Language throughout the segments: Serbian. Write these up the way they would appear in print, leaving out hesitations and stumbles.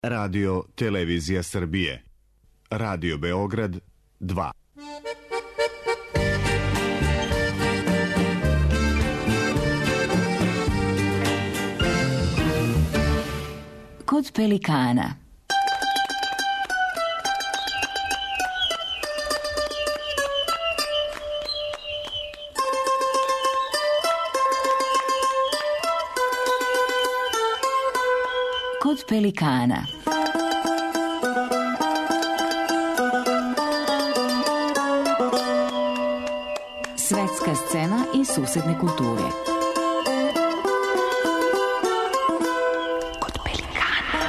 Radio Televizija Srbije. Radio Beograd 2. Kod pelikana. Kod pelikana. Svetska scena i susedne kulture. Kod pelikana.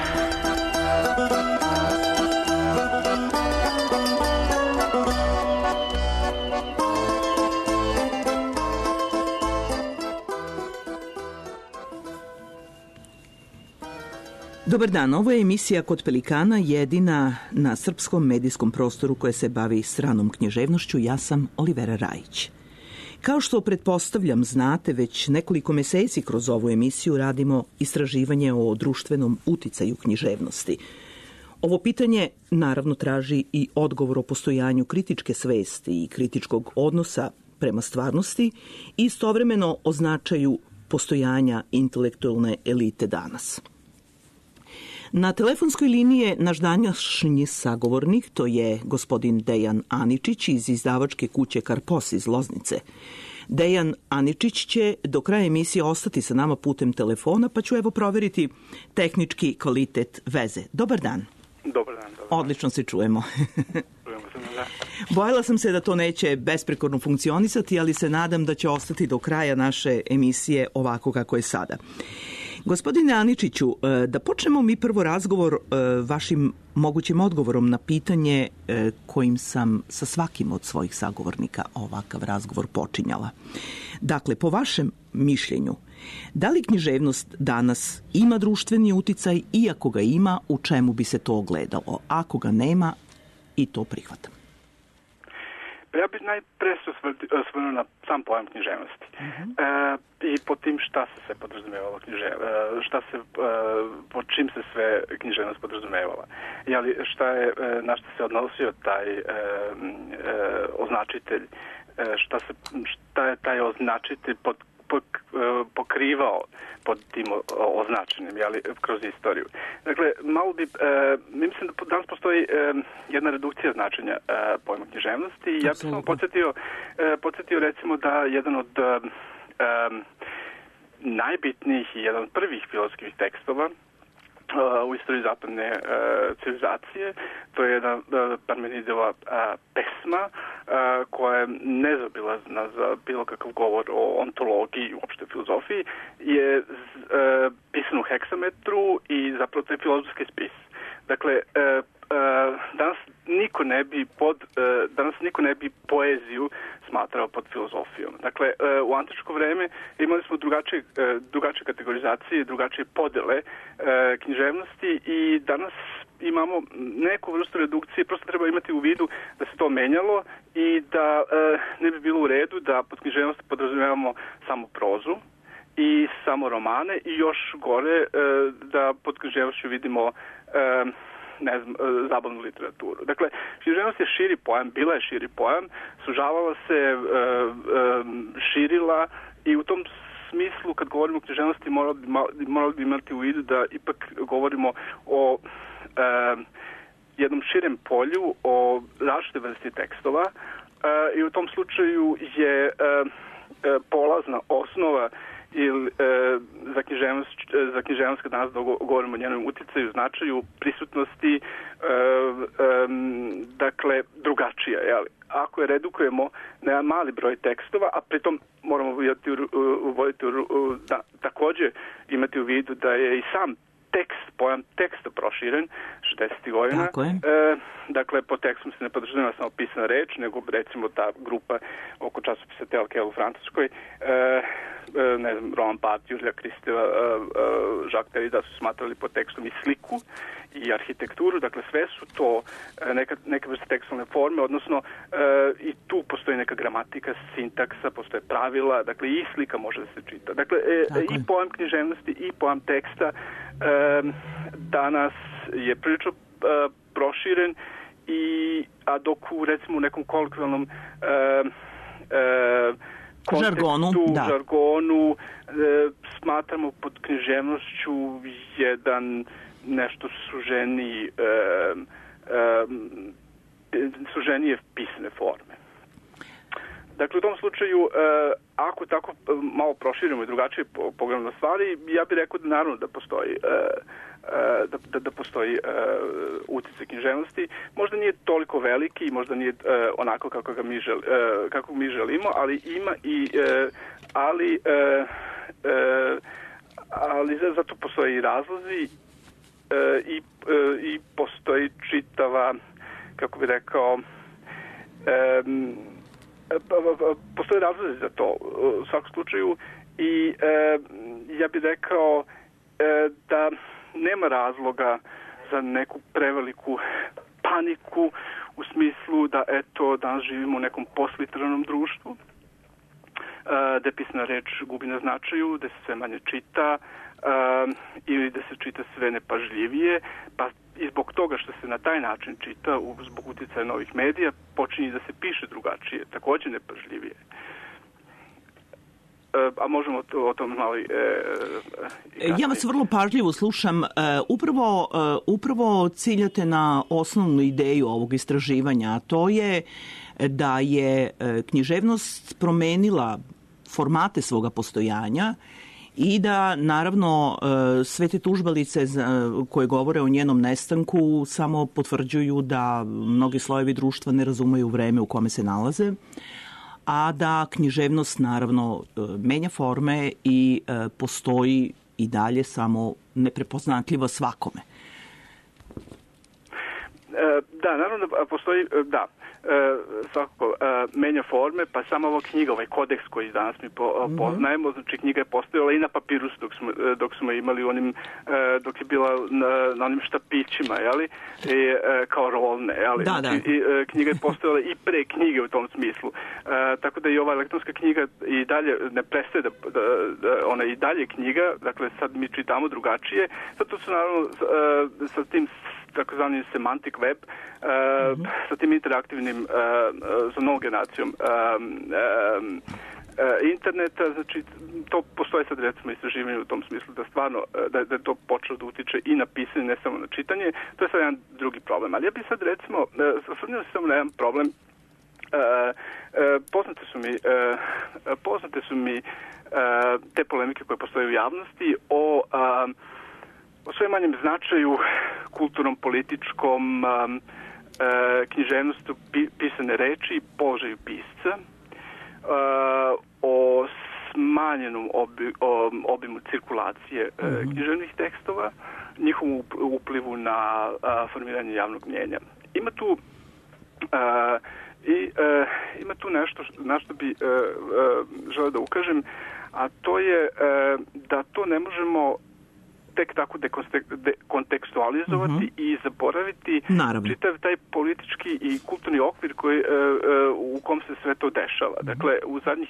Dobar dan, ovo je emisija Kod pelikana, jedina na srpskom medijskom prostoru koja se bavi stranom književnošću. Ja sam Olivera Rajić. Kao što pretpostavljam znate, već nekoliko meseci kroz ovu emisiju radimo istraživanje o društvenom uticaju književnosti. Ovo pitanje naravno traži i odgovor o postojanju kritičke svesti i kritičkog odnosa prema stvarnosti i istovremeno o značaju postojanja intelektualne elite danas. Na telefonskoj liniji je naš današnji sagovornik, to je gospodin Dejan Aničić iz izdavačke kuće Karpos iz Loznice. Dejan Aničić će do kraja emisije ostati sa nama putem telefona, pa ću evo proveriti tehnički kvalitet veze. Dobar dan. Dobar dan. Odlično se čujemo. Čujemo se, da. Bojala sam se da to neće besprekorno funkcionisati, ali se nadam da će ostati do kraja naše emisije ovako kako je sada. Gospodine Aničiću, da počnemo mi prvo razgovor vašim mogućim odgovorom na pitanje kojim sam sa svakim od svojih sagovornika ovakav razgovor počinjala. Dakle, po vašem mišljenju, da li književnost danas ima društveni uticaj i ako ga ima, u čemu bi se to ogledalo? Ako ga nema, i to prihvatam. Ja bih najpre se osvrnuo na sam pojam književnosti. I po tim šta se sve podrazumevala po čim se sve književnost podrazumevala. Na što se odnosio taj označitelj, šta je taj označitelj pokrivao pod tim označenim, kroz istoriju. Dakle, mislim da danas postoji jedna redukcija značenja pojma književnosti i ja bih samo podsjetio recimo da jedan od najbitnijih i jedan od prvih filozofskih tekstova u istoriji zapadne civilizacije, to je jedna Parmenidova pesma koja je nezaobilazna za bilo kakav govor o ontologiji i uopšte filozofiji, je pisan u heksametru i zapravo to je filozofski spis. Dakle, danas niko ne bi poeziju smatrao pod filozofijom. Dakle, u antičko vreme imali smo drugačije kategorizacije, drugačije podele književnosti i danas imamo neku vrstu redukcije, prosto treba imati u vidu da se to menjalo i da ne bi bilo u redu da pod književnosti podrazumevamo samo prozu i samo romane i još gore da pod književnošću vidimo zabavnu literaturu. Dakle, književnost je širi pojam, bila je širi pojam, sužavala se, širila i u tom smislu kad govorimo o književnosti morali bi imati u vidu da ipak govorimo o jednom širem polju, o različite vrsti tekstova i u tom slučaju je polazna osnova za književnost kad danas govorimo o njenom uticaju, značaju, prisutnosti, dakle, drugačija. Ako je redukujemo na mali broj tekstova, a pritom moramo također imati u vidu da je i sam pojam teksta proširen 60. godina. Dakle, po tekstom se ne podrazumeva samo pisana reč, nego recimo ta grupa oko časopisa Telkel u Francuskoj, Roman Barthes, Julija Kristeva, Jacques Derrida su smatrali pod tekstom i sliku i arhitekturu, dakle sve su to neka vrsta tekstualne forme, odnosno i tu postoji neka gramatika, sintaksa, postoje pravila, dakle i slika može da se čita. Dakle, i pojam književnosti i pojam teksta danas je prilično proširen, a dok u recimo u nekom kolokvijalnom žargonu smatramo pod književnošću nešto suženije pisane forme. Dakle, u tom slučaju, ako tako malo proširimo i drugačije pogledamo na stvari, ja bih rekao da naravno da postoji da postoji uticaj književnosti. Možda nije toliko veliki, možda nije onako kako mi želimo, ali ima ali zato postoje i razlozi i postoji čitava, kako bih rekao, postoje razlozi za to u svakom slučaju i ja bih rekao da nema razloga za neku preveliku paniku u smislu da danas živimo u nekom postliteranom društvu, da pisana reč gubi na značaju, da se sve manje čita ili da se čita sve nepažljivije, pa i zbog toga što se na taj način čita, zbog uticaja novih medija, počinje da se piše drugačije, također nepažljivije. A možemo o tom malo ja vas vrlo pažljivo slušam. Upravo ciljate na osnovnu ideju ovog istraživanja, a to je da je književnost promenila formate svoga postojanja i da, naravno, sve te tužbalice koje govore o njenom nestanku samo potvrđuju da mnogi slojevi društva ne razumeju vreme u kome se nalaze, a da književnost, naravno, menja forme i postoji i dalje, samo neprepoznatljiva svakome. Da, naravno da postoji, svakako menja forme, pa sama ova knjiga, ovaj kodeks koji danas mi poznajemo, znači knjiga je postojala i na papiru dok smo imali onim, dok je bila na onim štapićima, jeli, kao rolne, jeli. Znači, knjiga je postojala i pre knjige u tom smislu. Tako da i ova elektronska knjiga i dalje ne prestaje ona i dalje knjiga, dakle sad mi čitamo drugačije, zato su naravno sa tim takozvanim semantic web, sa tim interaktivnim za novom generacijom interneta, znači to postoje sad recimo istraživanje u tom smislu da stvarno da je to počelo da utiče i na pisanje, ne samo na čitanje. To je sad jedan drugi problem. Ali ja bih sad recimo osvrnuo se samo na jedan problem. Poznate su mi te polemike koje postoje u javnosti o sve manjem značaju kulturnom, političkom, književnosti, pisane reči, položaju pisca, o smanjenom obimu cirkulacije književnih tekstova, njihovom uplivu na formiranje javnog mnjenja. Ima tu nešto na što bi želeo da ukažem, a to je da to ne možemo tek tako dekontekstualizovati i zaboraviti čitav taj politički i kulturni okvir u kom se sve to dešava. Dakle, u zadnjih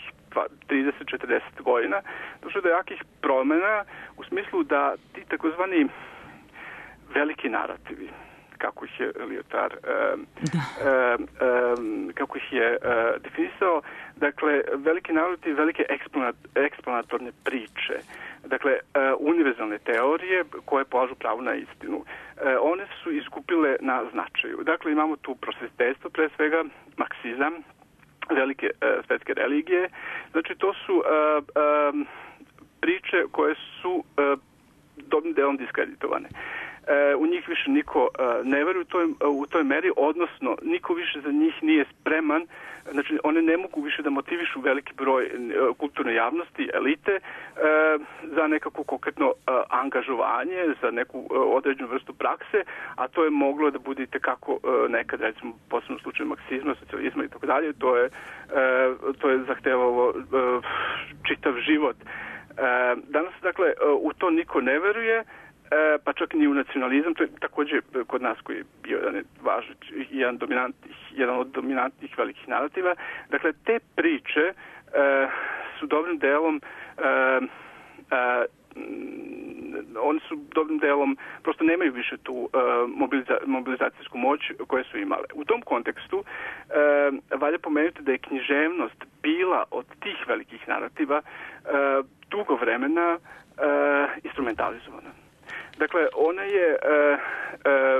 30-40 godina došlo do jakih promjena u smislu da ti takozvani veliki narativi, kako ih je Lyotard kako ih je definisao, dakle, veliki narativi, velike eksplanatorne priče, dakle, univerzalne teorije koje polažu pravo na istinu. One su izgubile na značaju. Dakle, imamo tu prosvjetiteljstvo, pre svega marksizam, velike svetske religije. Znači, to su priče koje su dobrim delom diskreditovane. U njih više niko ne veruje u toj meri, odnosno niko više za njih nije spreman, znači one ne mogu više da motivišu veliki broj kulturne javnosti, elite, za nekako konkretno angažovanje, za neku određenu vrstu prakse, a to je moglo da bude itekako nekad, recimo, posebno u slučaju marksizma, socijalizma i tako dalje, to je zahtevalo čitav život. Danas, dakle, u to niko ne veruje, pa čak ni u nacionalizam, to je također kod nas koji je bio jedan od dominantnih velikih narativa. Dakle, te priče su dobrim delom oni su dobrim delom, prosto nemaju više tu mobilizacijsku moć koje su imale. U tom kontekstu valja pomenuti da je književnost bila od tih velikih narativa dugo vremena instrumentalizovana. Dakle, ona je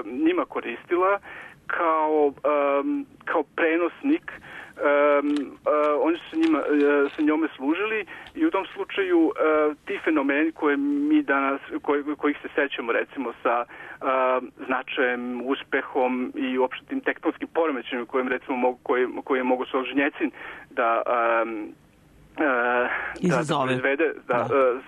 njima koristila kao prenosnik. Oni su sa njome služili i u tom slučaju ti fenomeni koje mi danas, kojih se sećamo recimo sa značajem, uspehom i uopšte tim tektonskim poremećajima koje je mogu Solženjecin da izvede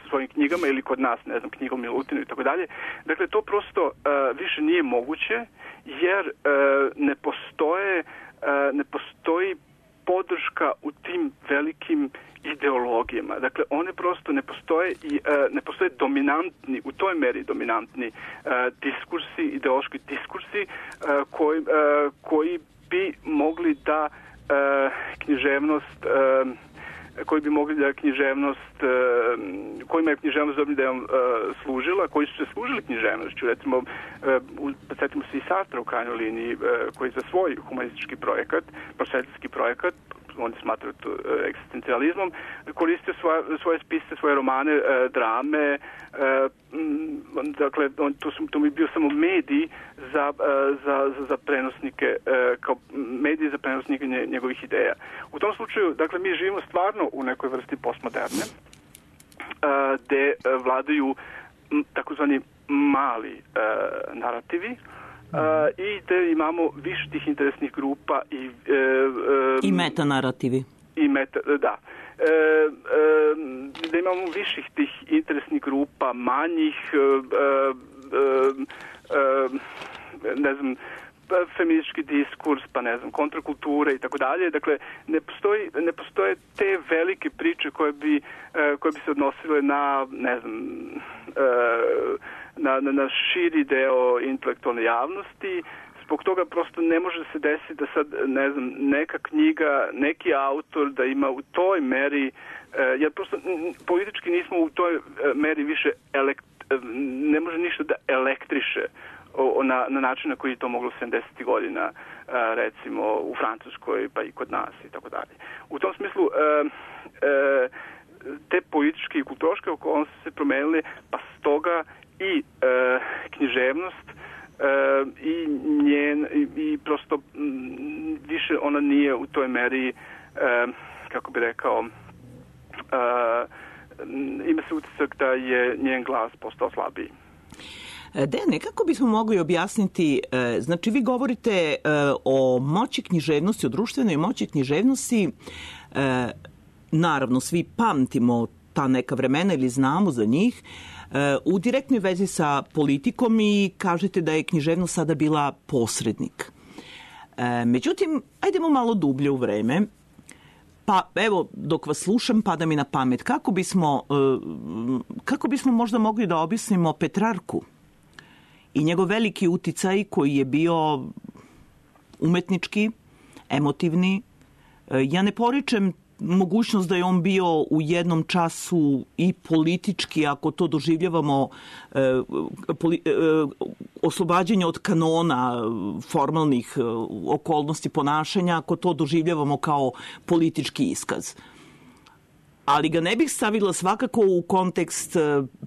svojim knjigama ili kod nas, ne znam, knjigom Milutinu i tako dalje. Dakle, to prosto više nije moguće jer ne postoji podrška u tim velikim ideologijama. Dakle, one prosto ne postoje i ne postoje dominantni, u toj meri dominantni diskursi, ideološki diskursi koji bi mogli da književnost kojima je književnost dobrim delom služila, koji su se služili književnošću. Recimo, podsjetimo se i Sartra u krajnjoj liniji, koji za svoj humanistički projekat, prosvetiteljski projekat, oni smatraju to egzistencializmom, koristio svoje spise, svoje romane, drame. Dakle, to mi je bio samo medij za prenosnike, kao medij za prenosnike njegovih ideja. U tom slučaju, dakle, mi živimo stvarno u nekoj vrsti postmoderne, gde vladaju takozvani mali narativi, i gde imamo više tih interesnih grupa i metanarativi. Da. Da imamo viših tih interesnih grupa, manjih, ne znam, feministički diskurs, pa ne znam, kontrakulture i tako dalje. Dakle, ne postoje te velike priče koje bi se odnosile na, ne znam, na širi deo intelektualne javnosti. Zbog toga prosto ne može se desiti da sad, ne znam, neka knjiga, neki autor da ima u toj meri, jer prosto politički nismo u toj meri više, ne može ništa da elektriše na način na koji je to moglo 70. godina, recimo u Francuskoj, pa i kod nas i tako dalje. U tom smislu, te političke i kulturološke okolnosti se promenile, pa stoga i književnost i prosto više ona nije u toj meri, kako bi rekao, ima se utisak da je njen glas postao slabiji. Dejane, kako bismo mogli objasniti, znači vi govorite o moći književnosti, o društvenoj moći književnosti, naravno svi pamtimo ta neka vremena ili znamo za njih, u direktnoj vezi sa politikom i kažete da je književnost sada bila posrednik. Međutim, ajdemo malo dublje u vreme. Pa evo, dok vas slušam, pada mi na pamet. Kako bismo možda mogli da objasnimo Petrarku i njegov veliki uticaj koji je bio umetnički, emotivni. Ja ne poričem mogućnost da je on bio u jednom času i politički, ako to doživljavamo oslobađanje od kanona formalnih okolnosti ponašanja, ako to doživljavamo kao politički iskaz. Ali ga ne bih stavila svakako u kontekst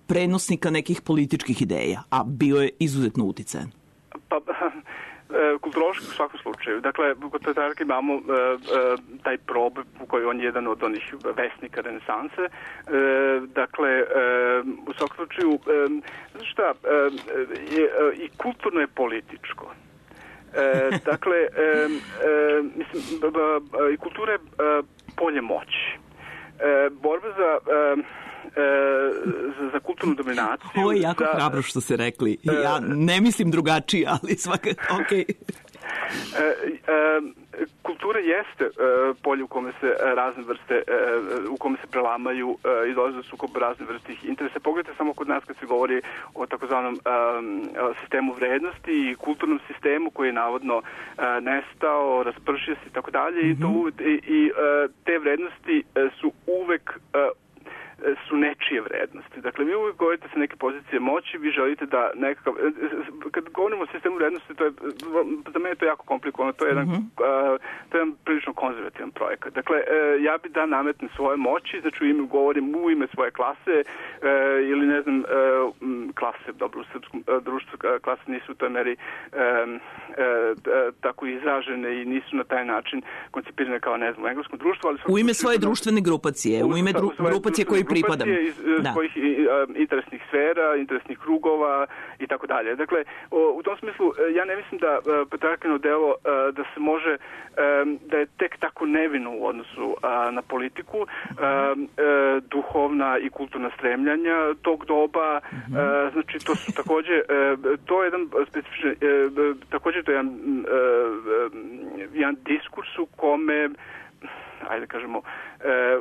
prenosnika nekih političkih ideja, a bio je izuzetno uticajan. Kulturološki u svakom slučaju. Dakle, kod Petrarke imamo taj proboj u kojoj on je jedan od onih vesnika renesanse. Dakle, u svakom slučaju, znači šta, i kulturno je političko. Dakle, mislim, i kultura je polje moći. Borba za kulturnu dominaciju. Ovo je jako hrabro što ste rekli. Ja ne mislim drugačije, ali svakako, okej. kultura jeste polje u kome se razne vrste, u kome se prelamaju i dolaze do sukoba razne vrste interesa. Pogledajte samo kod nas kad se govori o takozvanom sistemu vrednosti i kulturnom sistemu koji je navodno nestao, raspršio se i tako dalje i te vrednosti su uvek su nečije vrednosti. Dakle, vi uvijek govorite sa neke pozicije moći, vi želite da nekakav... Kad govorimo o sistemu vrednosti, to je, za mene je to jako komplikovano, to je jedan prilično konzervativan projekat. Dakle, ja bi da nametnem svoje moći, znači govorim u ime svoje klase ili ne znam, klase, dobro, u srpskom društvu klase nisu u toj meri tako izražene i nisu na taj način koncipirane kao, ne znam, u engleskom društvu, ali... U ime svoje društvene grupacije, u ime grupacije koji pripadam. Iz svojih interesnih sfera, interesnih krugova i tako dalje. Dakle, u tom smislu ja ne mislim da patrijarhalno delo da se može, da je tek tako nevino u odnosu na politiku, duhovna i kulturna stremljanja tog doba, znači to su takođe, to je jedan specifičan, takođe to je jedan diskurs u kome, ajde kažemo,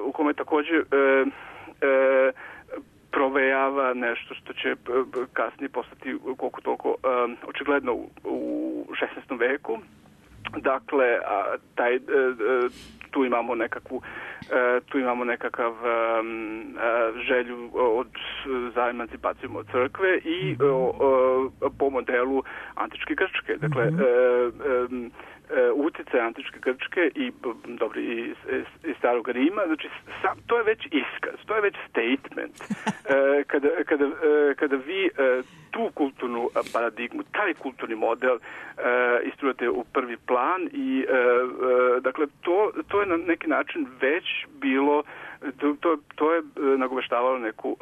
u kome takođe provejava nešto što će kasnije postati koliko toliko očigledno u 16. veku. Dakle, tu imamo nekakav želju za emancipacijom od crkve i po modelu antičke Grčke. Dakle, utjecaj antičke Grčke i starog Rima, znači to je već iskaz, to je već statement. Kada vi tu kulturnu paradigmu, taj kulturni model istrujete u prvi plan i dakle to je na neki način već bilo, to je nagoveštavalo neku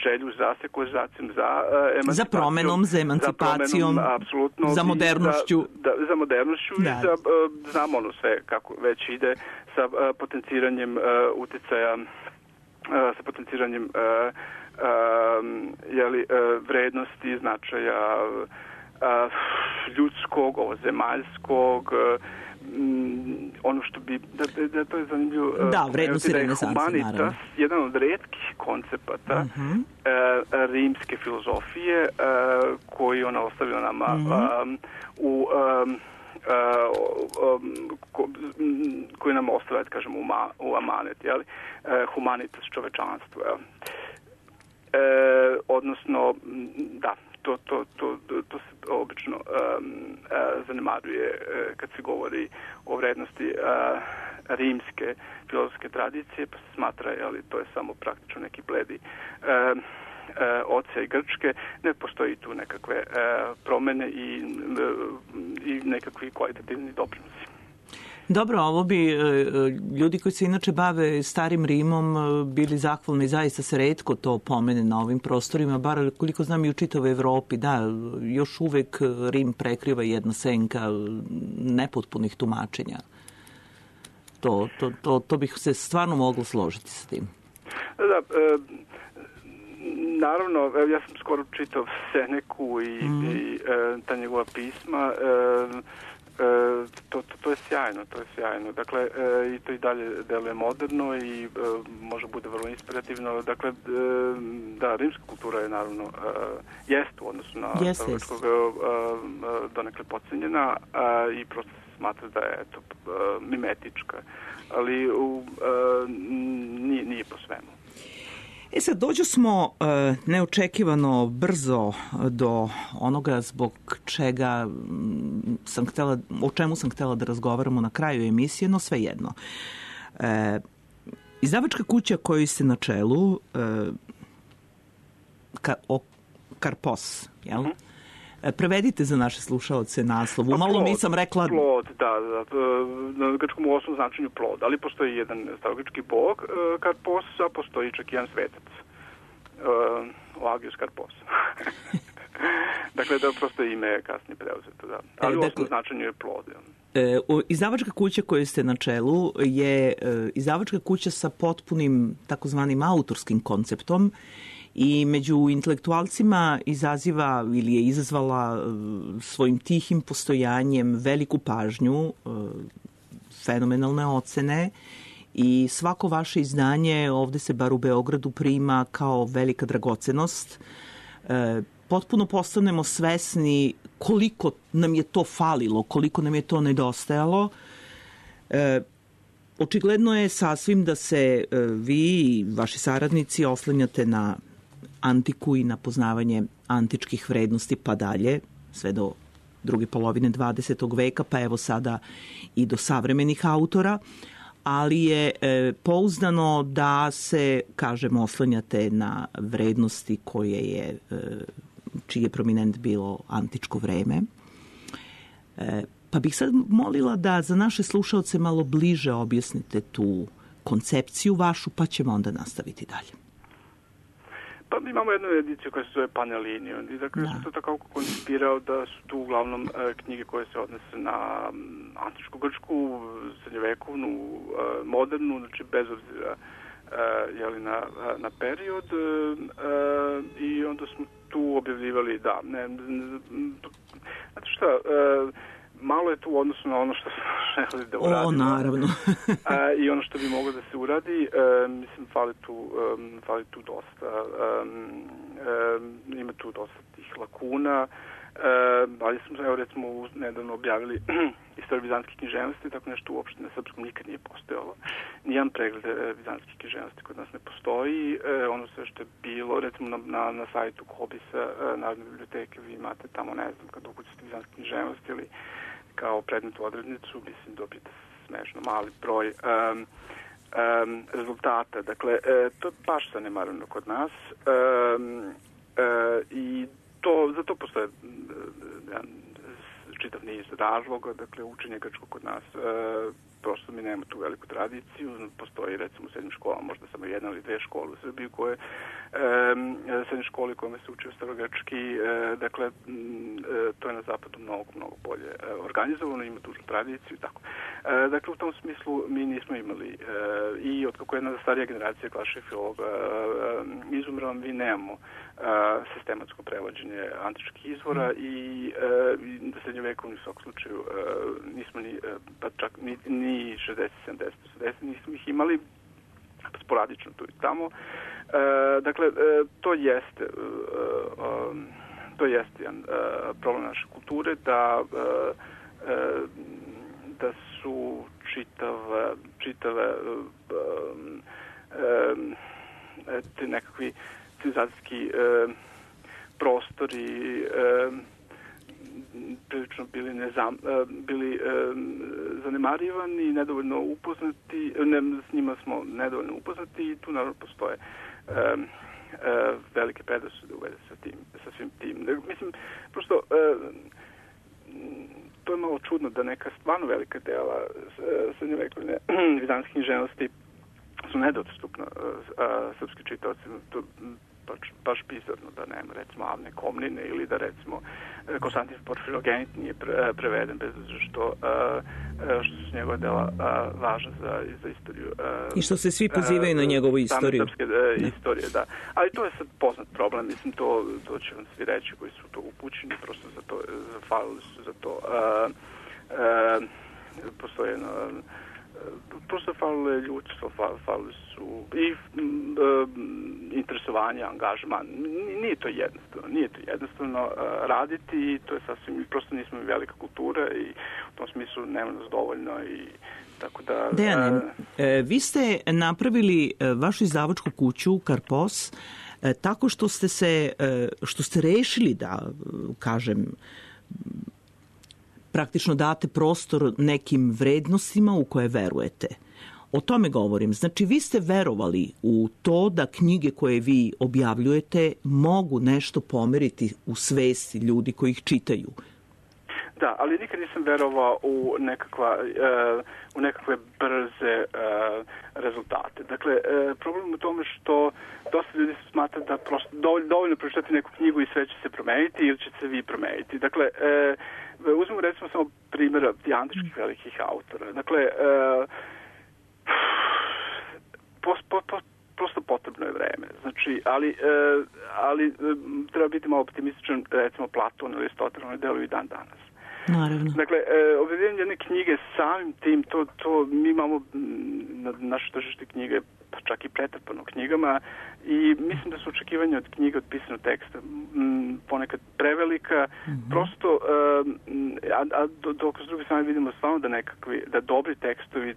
želju za sekularizacijom, za emancipacijom, za promenom, za emancipacijom, apsolutno, za modernošću. Za modernošću i znamo ono sve kako već ide sa potenciranjem uticaja, sa potenciranjem vrednosti, značaja ljudskog, zemaljskog, ono što bi, da to je zanimljivo, vrednosti renesanse, naravno. Jedan od retkih koncepata rimske filozofije koji ona ostavila nama koji nam ostavlja, kažemo, u amanet, humanitas, čovečanstvo. Odnosno, da, to se obično zanemaruje kad se govori o vrednosti rimske filozofske tradicije, pa se smatra, to je samo praktično neki bledi oca i Grčke. Ne postoji tu nekakve promene i nekakvi kvalitativni doprinosi. Dobro, ovo bi ljudi koji se inače bave starim Rimom bili zahvalni, zaista se retko to pomene na ovim prostorima, bar koliko znam i u čitavoj Evropi, da, još uvek Rim prekriva jedna senka nepotpunih tumačenja. To bih se stvarno moglo složiti sa tim. Da, naravno, ja sam skoro čitao Seneku i ta njegova pisma. To je sjajno. Dakle, i to i dalje deluje moderno i može bude vrlo inspirativno. Dakle, da, rimska kultura je naravno jest u odnosu na starogrčkog donekle podcenjena i prosto se smatra da je mimetička, ali nije po svemu. Sad, dođu smo neočekivano brzo do onoga zbog čega o čemu sam htjela da razgovaramo na kraju emisije, no svejedno. Izdavačka kuća koju ste na čelu, Karpos, jel? Prevedite za naše slušaoce naslov. Umalo nisam rekla... Plod, da. Na grčkom u osnovnom značenju plod, ali postoji jedan starogrčki bog Karpos, a postoji čak jedan svetac. Agios Karpos. Dakle, da prosto ime je kasnije preuzeto, da. Ali u osnovnom značenju je plod. Izdavačka kuća koju ste na čelu je izdavačka kuća sa potpunim takozvanim autorskim konceptom i među intelektualcima izaziva ili je izazvala svojim tihim postojanjem veliku pažnju fenomenalne ocene i svako vaše izdanje ovde se bar u Beogradu prima kao velika dragocenost. Potpuno postanemo svesni koliko nam je to falilo, koliko nam je to nedostajalo. Očigledno je sasvim da se vi i vaši saradnici oslanjate na antiku i na poznavanje antičkih vrednosti pa dalje, sve do druge polovine 20. veka, pa evo sada i do savremenih autora, ali je pouzdano da se, kažem, oslanjate na vrednosti čiji je prominent bilo antičko vreme. Pa bih sad molila da za naše slušaoce malo bliže objasnite tu koncepciju vašu, pa ćemo onda nastaviti dalje. Pa mi imamo jednu ediciju koja se zove Panellinijum i dakle sam to tako koncipirao da su tu uglavnom knjige koje se odnose na antičku Grčku, srednjovekovnu, modernu, znači bez obzira na period i onda smo tu objavljivali znate šta, malo je tu u odnosu na ono što smo želeli da uradimo. Naravno. I ono što bi moglo da se uradi, mislim, fali tu dosta. Ima tu dosta tih lakuna, ali smo, evo, recimo, nedavno objavili istoriju bizantske književnosti, tako nešto uopšte na srpskom nikad nije postojalo. Nijedan pregled bizantske književnosti kod nas ne postoji. Ono sve što je bilo, recimo na sajtu Kobisa Narodne biblioteke, vi imate tamo, ne znam, kad ukucate bizantske književnosti ili kao predmetnu odrednicu, mislim, dobijete smešno mali broj rezultata. Dakle, to je baš zanemareno kod nas i za to postoje čitav niz razloga. Dakle, učenje grčkog kod nas, prosto mi nemamo tu veliku tradiciju. Postoji, recimo, u srednjim školama možda samo jedna ili dve škole u Srbiji koje srednje škole kojima se uči starogrčki. Dakle, to je na zapadu mnogo bolje organizovano, ima dužu tradiciju i tako. Dakle, u tom smislu mi nismo imali i otkako jedna starija generacija klasičnih filologa izumrla, mi nemamo sistematsko prevođenje antičkih izvora i srednjovekovni u svakom slučaju nismo pa čak ni 60, 70, 80 nismo ih imali, sporadično tu i tamo. Dakle, to jeste jedan problem naše kulture, da su čitave te nekakvi civilizacijski prostori prilično bili zanemarivani, nedovoljno upoznati, s njima smo nedovoljno upoznati i tu naravno postoje velike predrasude u vezi sa svim tim. Mislim, prosto to je malo čudno da neka stvarno velika dela srednjovekovne bizantske književnosti su nedostupna srpski čitaoci. To baš bizarno da nema, recimo, Avne Komnine ili da, recimo, Konstantin Porfirogenit nije preveden bez što su njegove dela važna za istoriju. I što se svi pozivaju na njegovu istoriju. Same srpske istorije, da. Ali to je sad poznat problem, mislim, to će vam svi reći koji su to upućeni, prosto falili su za to. Postoje prosto falilo je ljudstvo, falili su i interesovanje, angažman. Nije to jednostavno raditi i to je sasvim, prosto nismo i velika kultura i u tom smislu nema nas dovoljno i tako da... Dejane, vi ste napravili vašu izdavačku kuću Karpos tako što ste rešili da, kažem, praktično date prostor nekim vrednostima u koje verujete. O tome govorim. Znači, vi ste verovali u to da knjige koje vi objavljujete mogu nešto pomeriti u svesti ljudi koji ih čitaju. Da, ali nikad nisam verovao u nekakve brze rezultate. Dakle, problem u tome što dosta ljudi smatra da prosto dovoljno pročitati neku knjigu i sve će se promeniti ili će se vi promeniti. Dakle, uzmemo recimo samo primjera antičkih velikih autora. Dakle, prosto potrebno je vreme. Znači, ali treba biti malo optimističan, recimo Platon ili Aristotel, oni deluju i dan danas. Naravno. Dakle, objavljivanje jedne knjige samim tim, to mi imamo na naše tržište knjige, pa čak i pretrpano knjigama, i mislim da su očekivanja od knjiga od pisanog teksta ponekad prevelika, prosto, dok s druge strane vidimo stvarno da dobri tekstovi,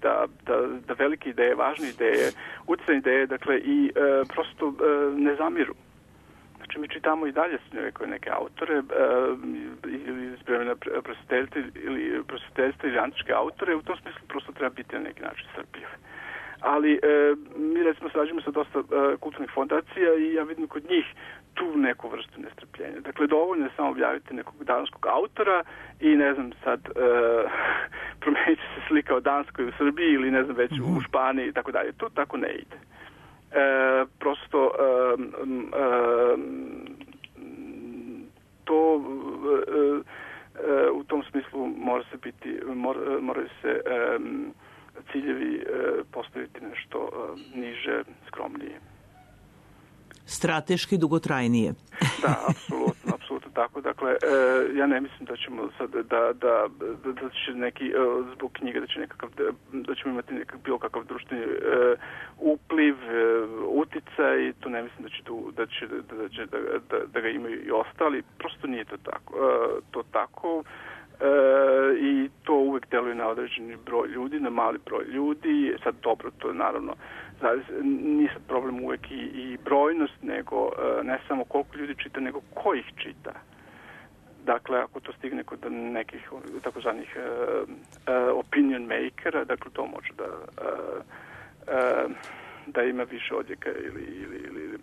da velike ideje, važne ideje, utjecajne ideje, dakle, i prosto ne zamiru. Znači, mi čitamo i dalje neke autore ili iz vremena prosvjetiteljstva ili antičke autore, u tom smislu prosto treba biti na neki način strpljiv. Ali mi recimo sarađujemo sa dosta kulturnih fondacija i ja vidim kod njih tu neku vrstu nestrpljenja. Dakle, dovoljno je samo objaviti nekog danskog autora i ne znam sad promenit će se slika o Danskoj u Srbiji ili ne znam već u Španiji i tako dalje. To tako ne ide. Prosto to u tom smislu moraju se ciljevi postaviti nešto niže, skromnije. Strateški dugotrajnije. Da, apsolutno tako. Dakle, ja ne mislim da ćemo sad da će neki zbog knjige da ćemo imati bilo kakav društveni upliv, uticaj, to ne mislim da ga imaju i ostali. Prosto nije to tako. I to uvek deluje na određeni broj ljudi, na mali broj ljudi. Sad dobro, to je naravno nije sad problem uvek i brojnost, nego ne samo koliko ljudi čita, nego ko ih čita. Dakle, ako to stigne kod nekih takozvanih opinion makera, dakle to može da ima više odjeka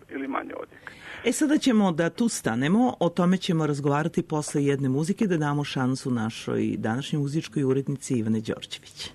ili manje odjeka. Sada ćemo da tu stanemo, o tome ćemo razgovarati posle jedne muzike, da damo šansu našoj današnjoj muzičkoj urednici Ivane Đorđević.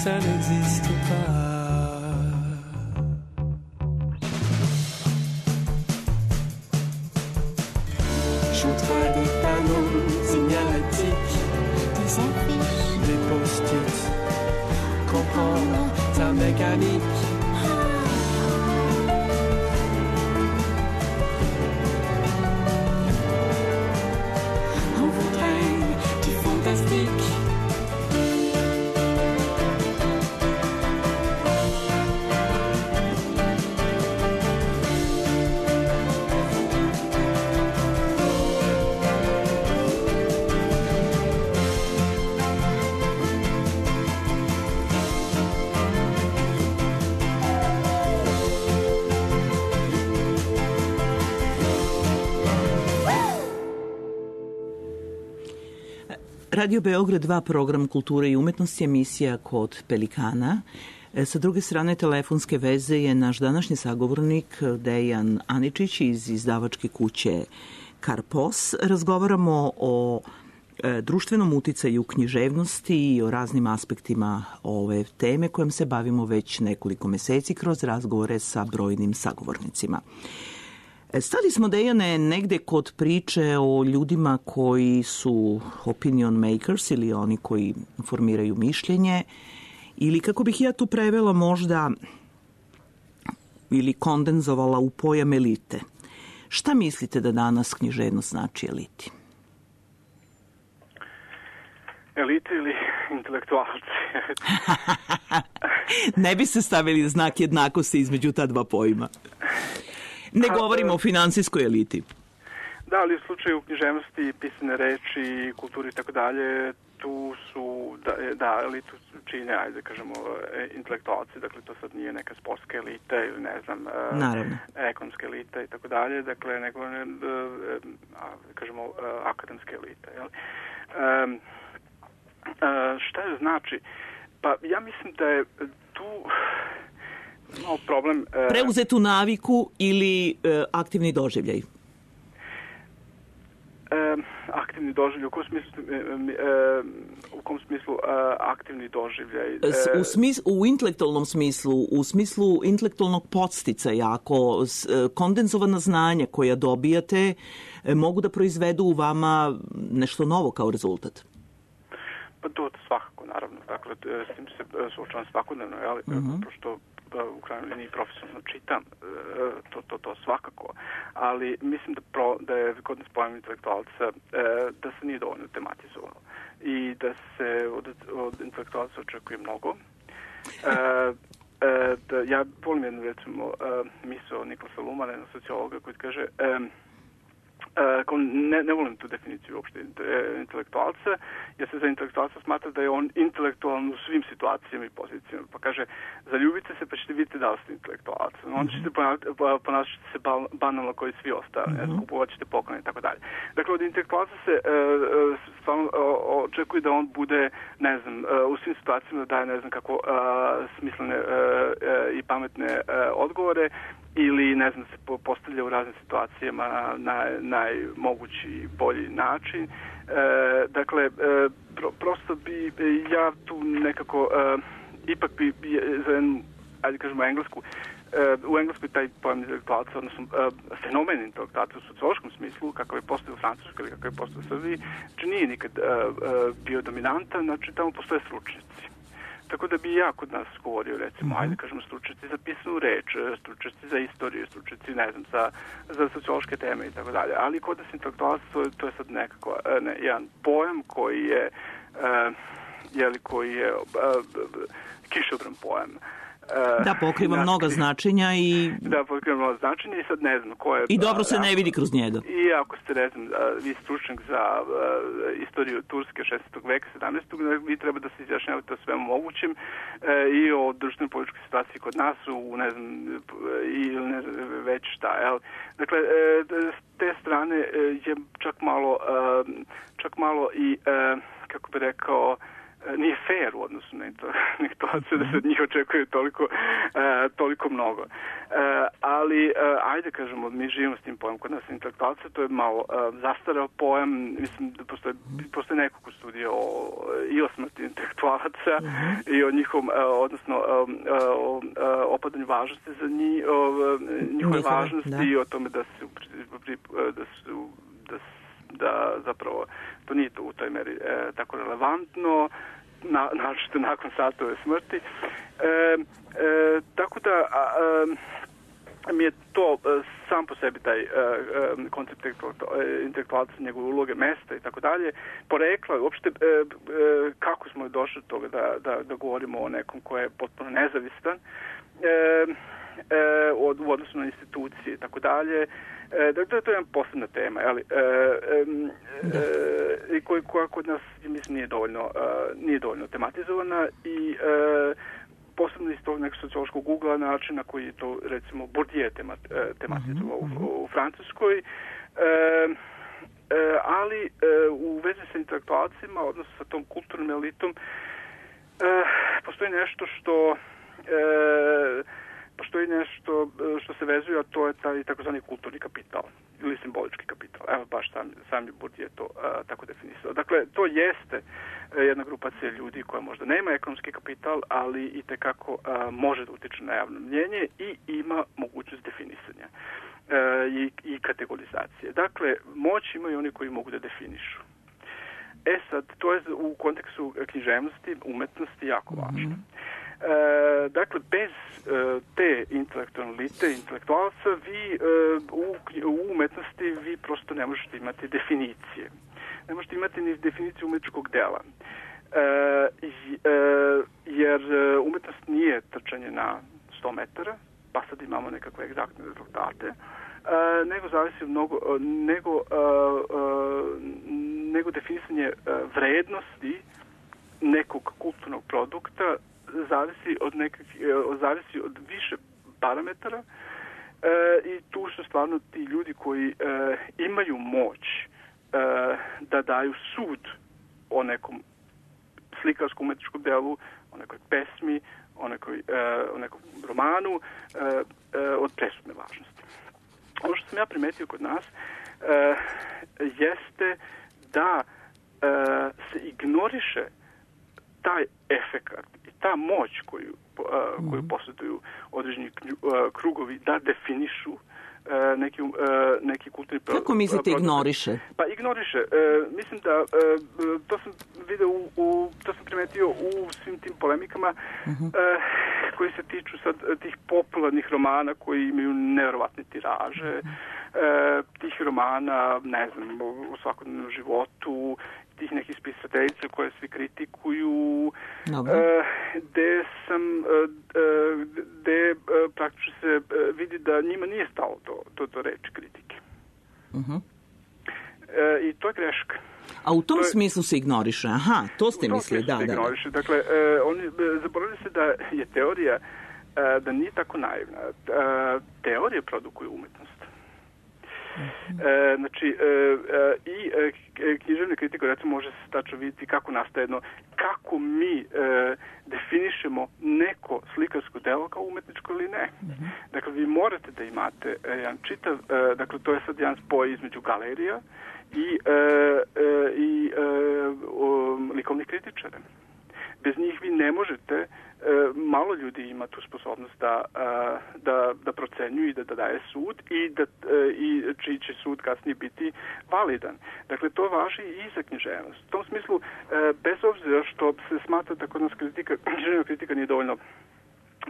Ça n'existe pas. Je voudrais des panneaux signalatiques, des affiches, des post-it, comprendre ta mécanique. On voudrait du fantastique. Radio Beograd 2, program kulture i umetnosti, emisija Kod Pelikana. Sa druge strane telefonske veze je naš današnji sagovornik Dejan Aničić iz izdavačke kuće Karpos. Razgovaramo o društvenom uticaju književnosti i o raznim aspektima ove teme kojom se bavimo već nekoliko meseci kroz razgovore sa brojnim sagovornicima. Stali smo, Dejane, negde kod priče o ljudima koji su opinion makers ili oni koji formiraju mišljenje, ili kako bih ja tu prevela možda ili kondenzovala u pojam elite. Šta mislite da danas književnost znači eliti? Elite ili intelektualci? Ne bi se stavili znak jednakosti između ta dva pojma. Ne govorimo o finansijskoj eliti. Da, ali u slučaju književnosti, pisane reči, kulturi i tako dalje, tu su, elitu čine, ajde kažemo, intelektualci, dakle to sad nije neka sportska elita ili ne znam, ekonomska elita i tako dalje, dakle nego, kažemo, akademska elita. Jel? Šta je znači? Pa ja mislim da je tu problem... Preuzetu naviku ili aktivni doživljaj? Aktivni doživljaj, u kom smislu aktivni doživljaj? U intelektualnom smislu, u smislu intelektualnog podsticaja, ako kondenzovana znanja koja dobijate mogu da proizvedu u vama nešto novo kao rezultat? Pa to svakako, naravno. Dakle, s tim se suočavam svakodnevno, pošto u krajnjoj liniji profesionalno čitam, to svakako, ali mislim da je kod nas pojam intelektualca da se nije dovoljno tematizovano i da se od intelektualca očekuje mnogo. Ja volim jednu, recimo, misao Nikolasa Lumana, jednog sociologa, koji kaže ne volim tu definiciju uopšte intelektualca, jer se za intelektualca smatra da je on intelektualan u svim situacijama i pozicijama. Pa kaže, zaljubite se pa ćete vidjeti da ste intelektualac. Onda ćete ponašati se banalno koji svi ostali, kupovat ćete poklone i tako dalje. Dakle, od intelektualca se stvarno očekuje da on bude, ne znam, u svim situacijama da daje, ne znam kako, smislene i pametne odgovore, ili, ne znam, se postavlja u raznim situacijama na najmogući bolji način. Dakle, prosto bi ja tu nekako ipak bi za jednu, ajde kažemo, englesku, u Engleskoj taj pojam intelektualca, odnosno fenomen intelektualca u sociološkom smislu, kakav je postao u Francuskoj ili kakav je postao u Srbiji, znači nije nikad bio dominantan, znači tamo postoje stručnjaci. Tako da bi ja kod nas govorio, recimo, ajde kažemo, stručnjaci za pisanu reč, stručnjaci za istoriju, stručnjaci, ne znam, za sociološke teme i tako dalje. Ali kod nas intelektualac, to je sad nekako jedan pojam koji je kišobran pojam. Da, pokriva mnoga značenja i... Da, pokriva mnoga značenja i sad ne znam ko je... I dobro se ne vidi kroz njega. I ako ste, ne znam, vi stručnjak za istoriju Turske 16. veka, 17. vi treba da se izjašnjavate o svemu mogućem i o društvenoj političkoj situaciji kod nas, ne znam, već šta, jel? Dakle, s te strane je čak malo i, kako bi rekao, nije fair u odnosu na intelektualce da se od njih očekuje toliko mnogo. Ali, ajde kažemo, mi živimo s tim pojmom kod nas intelektualca, to je malo zastarao pojam, mislim da postoje nekoliko studija i o smrti intelektualaca i o njihovom, odnosno opadanju važnosti za njihove važnosti i o tome da zapravo to nije to u toj meri tako relevantno, naročito nakon satove smrti. Tako da mi je to sam po sebi taj koncept intelektualca, njegove uloge, mesta i tako dalje, porekla uopšte kako smo došli do toga da govorimo o nekom ko je potpuno nezavistan u odnosu na institucije i tako dalje. Dakle, to je jedna posebna tema, koja kod nas, mislim, nije dovoljno tematizovana i posebno iz tog nekog sociološkog ugla način na koji je to, recimo, Bourdieu tematizovao u Francuskoj, ali u vezi sa intelektualcima, odnosno sa tom kulturnom elitom, postoji nešto što postoji nešto što se vezuje, a to je taj takozvani kulturni kapital ili simbolički kapital. Evo baš sami Bourdieu to tako definisao. Dakle, to jeste jedna grupacija ljudi koja možda nema ekonomski kapital, ali i tekako može da utiče na javno mnjenje i ima mogućnost definisanja i kategorizacije. Dakle, moć imaju oni koji mogu da definišu. Sad, to je u kontekstu književnosti, umetnosti jako važno. Dakle, bez te intelektualne elite, intelektualca, vi u umetnosti vi prosto ne možete imati definicije. Ne možete imati ni definiciju umetničkog dela. Jer umetnost nije trčanje na 100 metara, pa sad imamo nekakve egzaktne rezultate, nego zavisi nego definisanje vrednosti nekog kulturnog produkta zavisi od više parametara i tu su stvarno ti ljudi koji imaju moć da daju sud o nekom slikarskom umetničkom delu, o nekoj pesmi, o nekom romanu od presudne važnosti. Ono što sam ja primetio kod nas jeste da se ignoriše taj efekat i ta moć koju posjeduju određeni krugovi da definišu neki kulturni produkt. Kako mislite ignoriše? Pa ignoriše. Mislim da to sam video to sam primetio u svim tim polemikama koji se tiču sad tih popularnih romana koji imaju nevjerovatne tiraže, tih romana, ne znam, u svakodnevnom životu, tih nekih spisateljica koje svi kritikuju, gde praktično se vidi da njima nije stalo do reči kritike. I to je greška. A u tom smislu se ignoriše? Aha, to ste mislili, da. Dakle, oni zaboravili se da je teorija da nije tako naivna. Teorija produkuje umetnost. Znači, i književna kritika recimo može se tačno vidjeti kako nastaje kako mi definišemo neko slikarsko delo kao umetničko ili ne. Dakle, vi morate da imate jedan čitav, dakle, to je sad jedan spoj između galerija i likovnih kritičara. Bez njih vi ne možete, malo ljudi ima tu sposobnost da procenjuju i da daje sud i čiji će sud kasnije biti validan. Dakle, to važi i za književnost. U tom smislu, bez obzira što se smatra da kod nas književna kritika nije dovoljno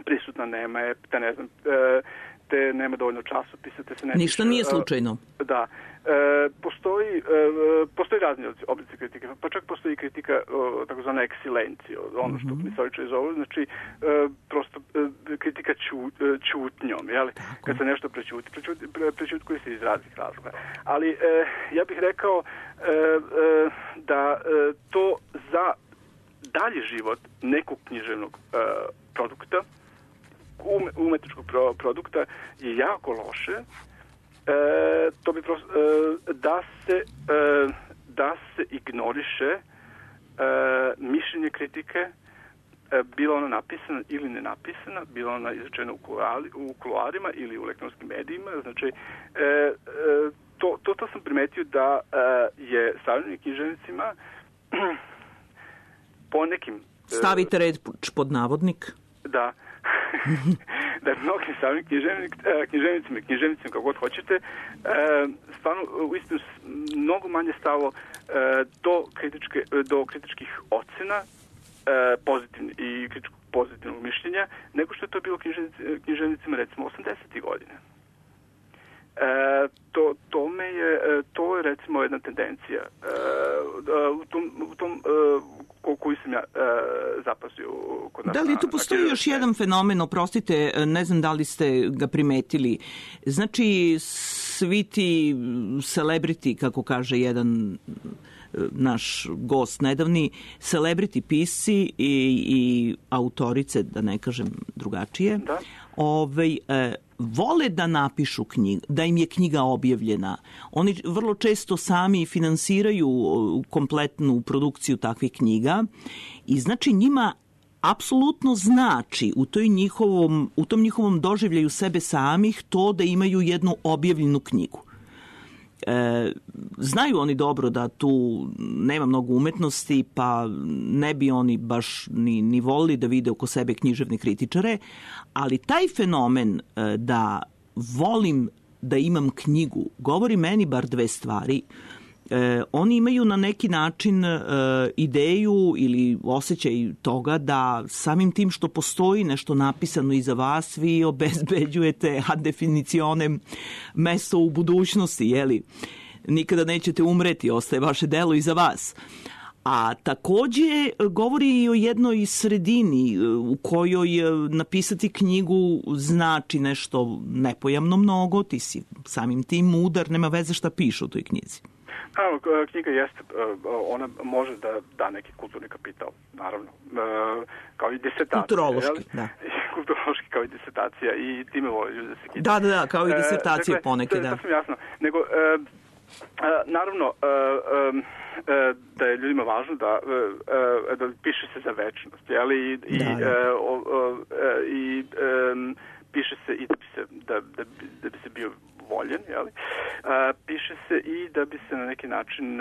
prisutna, nema je, ne znam, te nema dovoljno časopisa, te se ne... Ništa nije slučajno. Da. Postoji razni oblici kritike, pa čak postoji kritika takozvana eksilencija, ono što misličari zovu, znači prosto kritika ćutnjom, jel? Kad se nešto prećuti koji se iz raznih razloga. Ali ja bih rekao da to za dalji život nekog književnog produkta, umetničkog produkta je jako loše. To bi prosto da se ignoriše mišljenje kritike, bilo ona napisana ili ne napisana, bilo ona izrečena u kuloarima ili u elektronskim medijima. Znači, to sam primetio da je savremenim književnicima po nekim... Stavite reč pod navodnik. Da. Da je mnogim samim književnicima kako god hoćete, stvarno uistinu mnogo manje stalo do kritičkih ocena i kritičkog pozitivnog mišljenja, nego što je to bilo književnicima recimo 80. godine. To je recimo jedna tendencija u tom koju sam ja zapazio kod nas. Da li tu postoji još jedan fenomen, oprostite, ne znam da li ste ga primetili. Znači, svi ti celebrity, kako kaže jedan naš gost nedavni, celebrity pisci i autorice, da ne kažem drugačije, vole da napišu knjigu, da im je knjiga objavljena. Oni vrlo često sami finansiraju kompletnu produkciju takvih knjiga i znači njima apsolutno znači u tom njihovom doživljaju sebe samih to da imaju jednu objavljenu knjigu. Znaju oni dobro da tu nema mnogo umetnosti, pa ne bi oni baš ni volili da vide oko sebe književne kritičare, ali taj fenomen da volim da imam knjigu govori meni bar dve stvari. Oni imaju na neki način ideju ili osjećaj toga da samim tim što postoji nešto napisano iza vas, vi obezbeđujete ad definicionem mesto u budućnosti, jeli? Nikada nećete umreti, ostaje vaše delo iza vas. A takođe govori i o jednoj sredini u kojoj napisati knjigu znači nešto nepojamno mnogo, ti si samim tim mudar, nema veze šta piše u toj knjizi. Knjiga jeste, ona može da da neki kulturni kapital, naravno, kao i disertacija. Kulturološki, da. Kulturološki kao i disertacija i time vole ljudi da se kida. Da, kao i disertacija ponekad, da. To sam jasno. Nego, naravno, da je ljudima važno da piše se za večnost, jeli? I piše se i da bi se bio voljen, jeli? Piše se i da bi se na neki način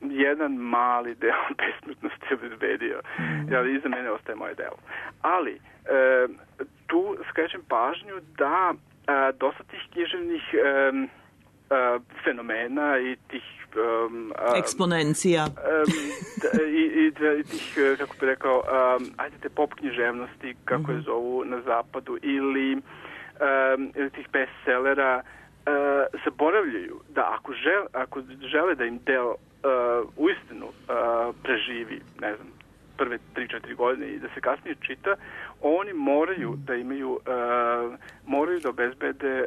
jedan mali deo besmrtnosti obezbedio. Jeli? Iza mene ostaje moje delo. Ali tu skrećem pažnju da dosta tih književnih fenomena i tih eksponencija i tih, kako bih rekao, te pop književnosti, kako je zovu na zapadu, ili tih bestsellera, zaboravljaju da ako žele da im deo uistinu preživi, ne znam, prve 3-4 godine i da se kasnije čita, oni moraju da imaju, moraju da obezbede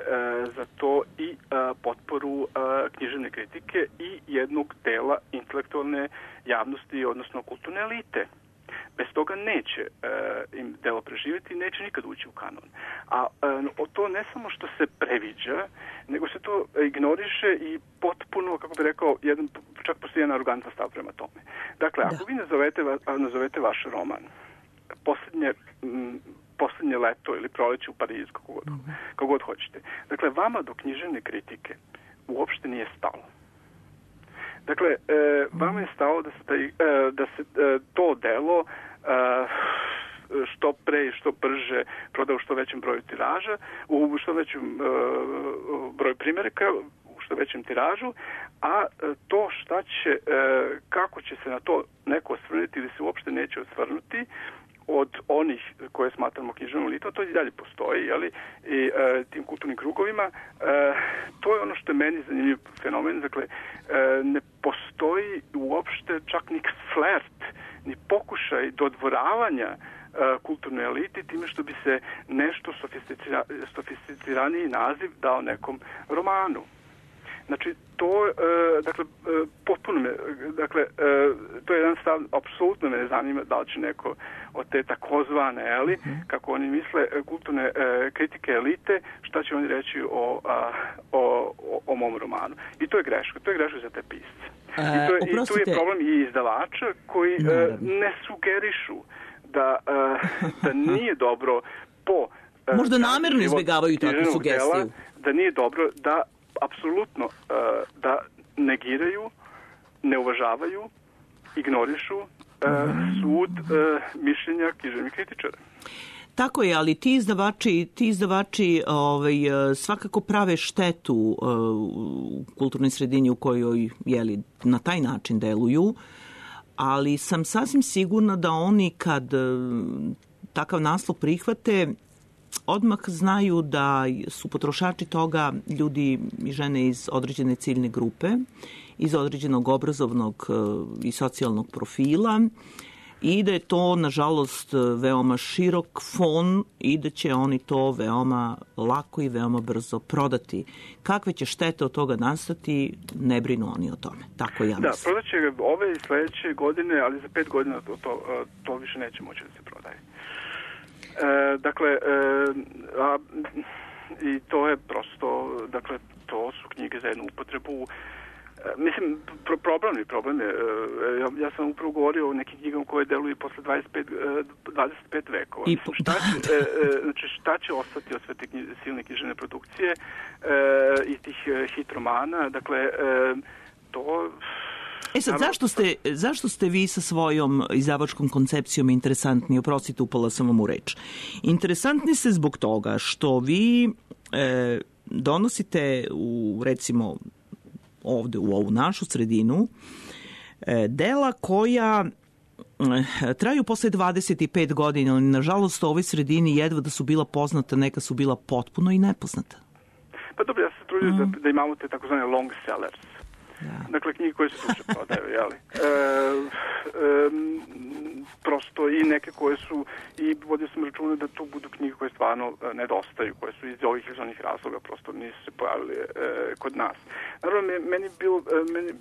za to i potporu književne kritike i jednog dela intelektualne javnosti, odnosno kulturne elite. Bez toga neće im delo preživjeti i neće nikad ući u kanon. A to ne samo što se previđa, nego se to ignoriše i potpuno, kako bih rekao, čak postoji jedan arogantan stav prema tome. Dakle, ako vi nazovete vaš roman Poslednje leto ili Proleće u Parizu, kako god hoćete. Dakle, vama do književne kritike uopšte nije stalo. Dakle, vama je stalo da se to delo što pre i što brže proda u što većem broju tiraža, u što većem broju primjeraka, u što većem tiražu, a to šta će, kako će se na to neko osvrnuti ili se uopšte neće osvrnuti od onih koje smatramo književnom elitom, to i dalje postoji, jeli, i tim kulturnim krugovima. To je ono što je meni zanimljiv fenomen. Dakle, ne postoji uopšte čak ni flert, ni pokušaj dodvoravanja kulturnoj eliti time što bi se nešto sofisticiraniji naziv dao nekom romanu. Znači, to, dakle, potpuno me, dakle, to je jedan stav, apsolutno me ne zanima da li će neko od te takozvane, eli, kako oni misle, kulturne kritike elite, šta će oni reći o mom romanu. I to je greška za te pisce. I tu je problem i izdavača koji ne sugerišu da nije dobro možda namerno izbjegavaju takvu sugestiju. Da nije dobro da apsolutno da negiraju, ne uvažavaju, ignorišu sud mišljenja književnih kritičara. Tako je, ali ti izdavači svakako prave štetu u kulturnoj sredini u kojoj na taj način deluju, ali sam sasvim sigurna da oni kad takav naslov prihvate, odmah znaju da su potrošači toga ljudi i žene iz određene ciljne grupe, iz određenog obrazovnog i socijalnog profila i da je to, nažalost, veoma širok fon i da će oni to veoma lako i veoma brzo prodati. Kakve će štete od toga nastati, ne brinu oni o tome. Tako ja mislim. Da, prodat će ove i sledeće godine, ali za 5 godina to više neće moći da se prodaje. Dakle, i to je prosto, dakle, to su knjige za jednu upotrebu Mislim, problem je, ja sam upravo govorio o nekim knjigama koje deluju posle 25 vekova. Šta će ostati od sve te silne književne produkcije i tih hit romana, dakle, to... Sad, zašto ste vi sa svojom izdavačkom koncepcijom interesantni? Oprostite, upala sam vam u reč. Interesantni ste zbog toga što vi donosite recimo, ovde u ovu našu sredinu dela koja traju posle 25 godina, ali nažalost u ovoj sredini jedva da su bila poznata, neka su bila potpuno i nepoznata. Pa dobro, ja se trudim da imamo te takozvane long sellers. Da. Dakle, knjige koje se duže prodaju, jeli? Prosto i neke koje su, i vodio sam računa da to budu knjige koje stvarno nedostaju, koje su iz ovih iz onih razloga prosto nisu se pojavili kod nas. Naravno,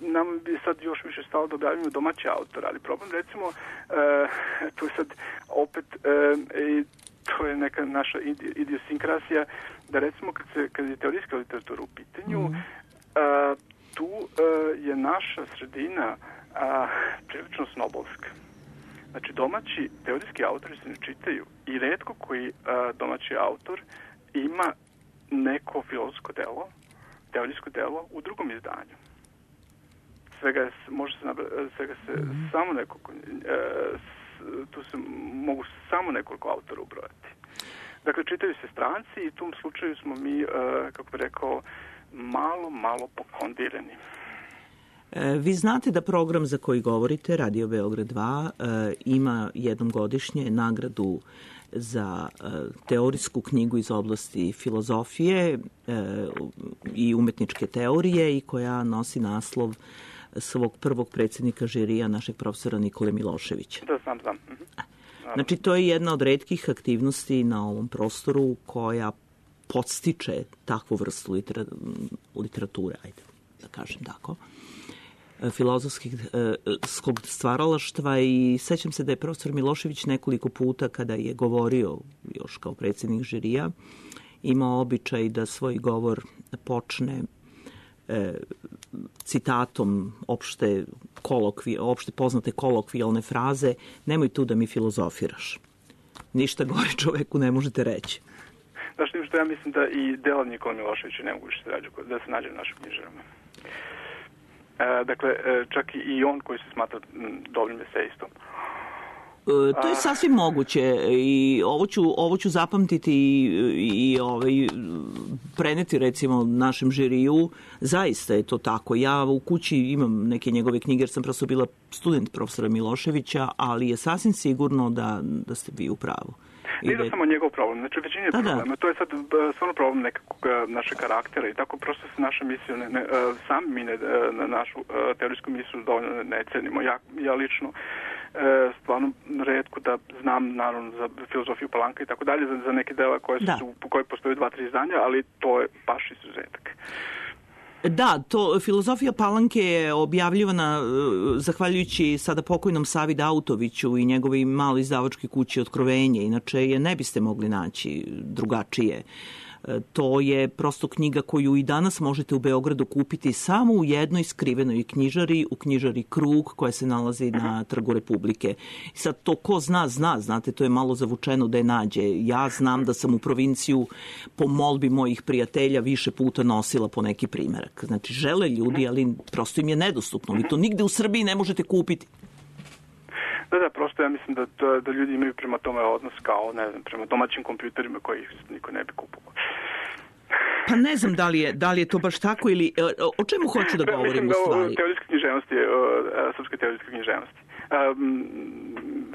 nama bi sad još više stalo da objavimo domaći autor, ali problem, recimo, tu je sad opet, to je neka naša idiosinkrasija, da recimo kad je teorijska literatura u pitanju, tu je naša sredina prilično snobovska. Znači, domaći teorijski autori se ne čitaju i retko koji domaći autor ima neko filozofsko delo, teorijsko delo u drugom izdanju. Samo nekoliko, tu se mogu samo nekoliko autora ubrojati. Dakle, čitaju se stranci i u tom slučaju smo mi, kako bih rekao, malo pokondirani. Vi znate da program za koji govorite, Radio Beograd 2, ima jednom godišnje nagradu za teorijsku knjigu iz oblasti filozofije i umetničke teorije i koja nosi naslov svog prvog predsjednika žirija, našeg profesora Nikole Miloševića. Da, znam. Znači, to je jedna od retkih aktivnosti na ovom prostoru koja podstiče takvu vrstu literature, ajde da kažem tako, filozofskog stvaralaštva, i sećam se da je profesor Milošević nekoliko puta kada je govorio još kao predsjednik žirija imao običaj da svoj govor počne citatom opšte poznate kolokvijalne fraze: nemoj tu da mi filozofiraš. Ništa gore čoveku ne možete reći. Znaš, što ja mislim da i dela Nikola Miloševića ne mogu da se nađe u našim knjižarama. Dakle, čak i on koji se smatra dobrim esejistom. To je sasvim moguće i ovo ću zapamtiti i preneti recimo našem žiriju. Zaista je to tako. Ja u kući imam neke njegove knjige jer sam prosto bila student profesora Miloševića, ali je sasvim sigurno da ste vi u pravu. Nije da samo njegov problem, znači većina je problema. To je sad stvarno problem nekakvog našeg karaktera i tako prosto se naša misija, sami mi na našu teorijsku misiju dovoljno ne cenimo. Ja lično stvarno retko da znam, naravno, za filozofiju Palanka i tako dalje, za neke dela koje postoje 2-3 izdanja, ali to je baš izuzetak. Da, filozofija Palanke je objavljivana zahvaljujući sada pokojnom Savi Dautoviću i njegovoj maloj izdavačkoj kući Otkrovenje. Inače je ne biste mogli naći drugačije. To je prosto knjiga koju i danas možete u Beogradu kupiti samo u jednoj skrivenoj knjižari, u knjižari Krug, koja se nalazi na Trgu Republike. Sad to ko zna, znate, to je malo zavučeno da je nađe. Ja znam da sam u provinciju po molbi mojih prijatelja više puta nosila po neki primerak. Znači, žele ljudi, ali prosto im je nedostupno. Vi to nigde u Srbiji ne možete kupiti. Da, prosto ja mislim da ljudi imaju prema tome odnos kao, ne znam, prema domaćim kompjuterima koji niko ne bi kupovao. Pa ne znam da li je to baš tako ili o čemu hoću da govorim u stvari. Mislim da o teorijskoj književnosti, srpske teorijske književnosti,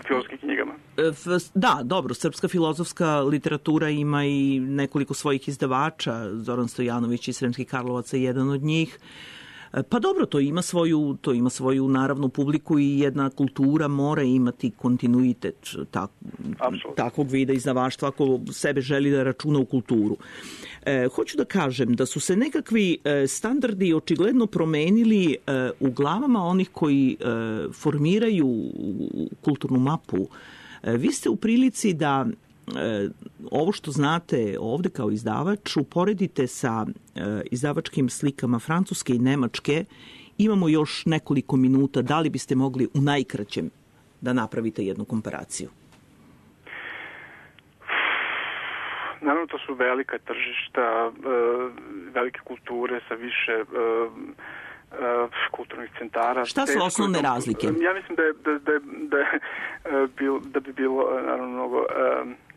filozofskim knjigama. Da, dobro, srpska filozofska literatura ima i nekoliko svojih izdavača, Zoran Stojanović iz Sremskih Karlovaca je jedan od njih. Pa dobro, to ima svoju naravno publiku i jedna kultura mora imati kontinuitet takvog vida izdavaštva ako sebe želi da računa u kulturu. Hoću da kažem da su se nekakvi standardi očigledno promenili u glavama onih koji formiraju kulturnu mapu. Vi ste u prilici da ovo što znate ovde kao izdavač uporedite sa izdavačkim slikama Francuske i Nemačke Imamo još nekoliko minuta. Da li biste mogli u najkraćem da napravite jednu komparaciju? Naravno, to su velika tržišta, velike kulture sa više kulturnih centara. Šta su osnovne razlike? Ja mislim da bi bilo naravno mnogo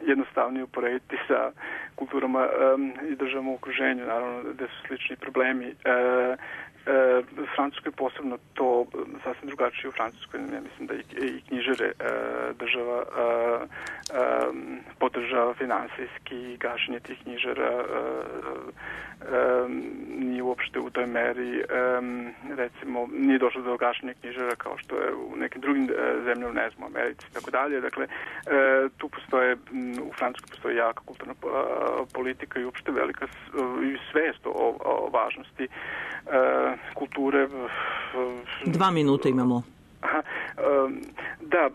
jednostavnije uporediti sa kulturama i državama u okruženju, naravno gde su slični problemi. Francuskoj posebno to sasvim drugačije. U Francuskoj ja mislim da i knjižare država podržava finansijski, gašenje tih knjižara nije uopšte u toj meri, recimo nije došlo do gašenja knjižara kao što je u nekim drugim zemljama, ne znam, u Americi i tako dalje. Dakle, tu postoje, u Francuskoj postoji jaka kulturna politika i uopšte velika svest o važnosti kulture. 2 minuta imamo. Da,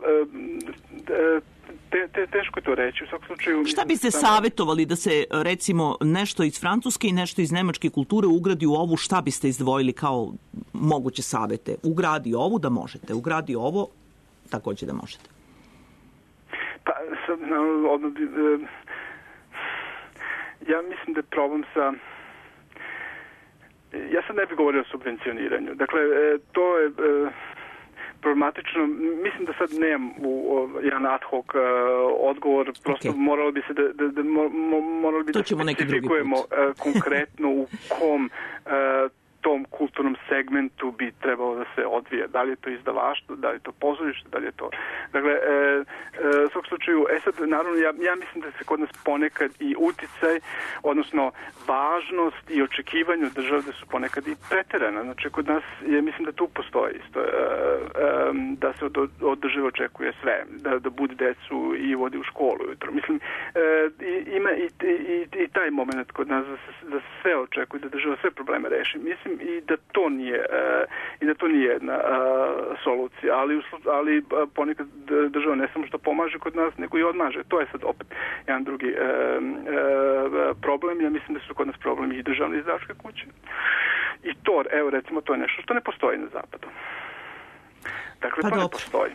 teško je to reći. U svakom slučaju... Šta biste savjetovali da se, recimo, nešto iz francuske i nešto iz nemačke kulture ugradi u ovu? Šta biste izdvojili kao moguće savjete? Ugradi ovu da možete, ugradi ovo takođe da možete. Pa, ja mislim da je problem sa... Ja sad ne bih govorio o subvencioniranju. Dakle, to je problematično. Mislim da sad nemam jedan ad hoc odgovor. Prosto moralo bi se da specifikujemo konkretno u kom tom kulturnom segmentu bi trebalo da se odvije. Da li je to izdavaštvo, da li je to pozorište, da li je to... Dakle, u svakom slučaju, sad, naravno, ja mislim da se kod nas ponekad i uticaj, odnosno važnost i očekivanje od države da su ponekad i preterana. Znači, kod nas, mislim da tu postoji isto, da se od države očekuje sve, da budi decu i vodi u školu ujutro. Mislim, ima i taj moment kod nas da se sve očekuje, da država sve probleme reši. Mislim i da to nije jedna solucija, ali ponekad država ne samo što pomaže kod nas, nego i odmaže. To je sad opet jedan drugi problem. Ja mislim da su kod nas problemi i državne izdavačke kuće. I to, evo recimo, to je nešto što ne postoji na zapadu. Dakle, to ne postoji.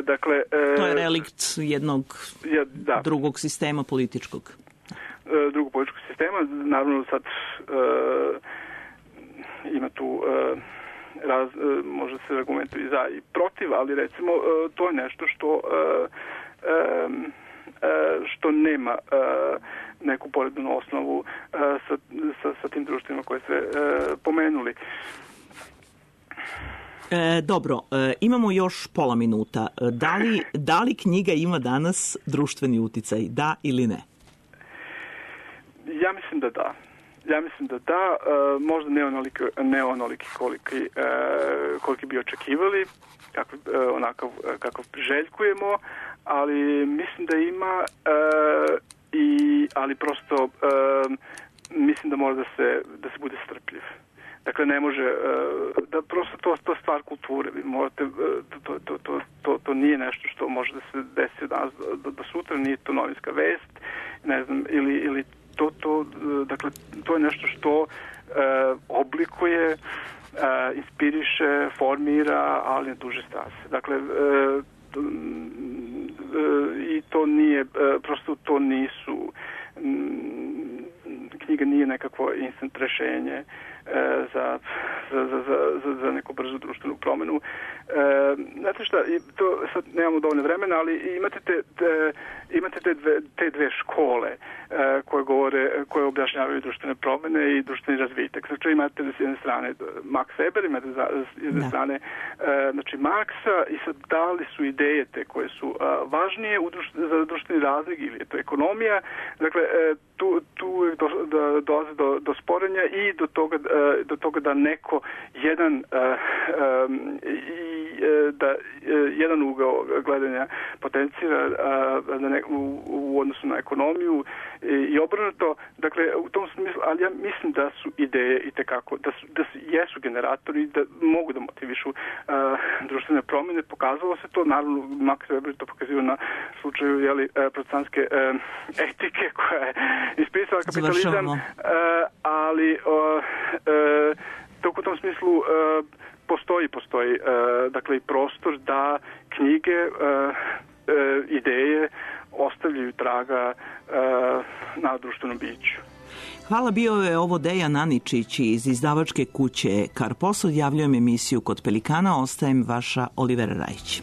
Dakle, to je relikt jednog drugog sistema političkog. Drugog političkog sistema. Naravno sad ima tu može se argumentovati za i protiv, ali recimo to je nešto što nema neku porednu osnovu sa tim društvima koje ste pomenuli. Dobro, imamo još pola minuta. Da li knjiga ima danas društveni uticaj? Da ili ne? Ja mislim da da. Možda ne onoliki koliki bi očekivali, kakav priželjkujemo, ali mislim da ima ali prosto mislim da mora da se bude strpljiv. Dakle, ne može, da prosto to stvar kulture. Vi morate, to nije nešto što može da se desi danas do sutra, nije to novinska vest, ne znam, ili dakle, to je nešto što oblikuje, inspiriše, formira, ali na duže staze. Dakle, i to nije, prosto to nisu, knjiga nije nekakvo instant rešenje za neku brzu društvenu promenu. Znate šta, to sad nemamo dovoljno vremena, ali imate te dve škole koje objašnjavaju društvene promene i društveni razvitak. Znači imate s jedne strane Max Weber, imate s jedne strane znači Marksa, i sad da li su ideje te koje su važnije za društveni razvoj ili je to ekonomija. Dakle, tu dolazi do sporenja i do toga da neko jedan ugao gledanja potencira u odnosu na ekonomiju i obrnuto. Dakle, u tom smislu, ali ja mislim da su ideje itekako, da jesu generatori, da mogu da motivišu društvene promjene. Pokazalo se to, naravno, Max Weber to pokazio na slučaju protestantske etike koja je ispisala kapitalizam, ali u tom smislu postoji dakle i prostor da knjige, ideje ostavljaju traga na društvenom biću. Hvala, bio je ovo Dejan Aničić iz izdavačke kuće Karpos. Odjavljujem emisiju Kod Pelikana, ostajem vaša Olivera Rajić.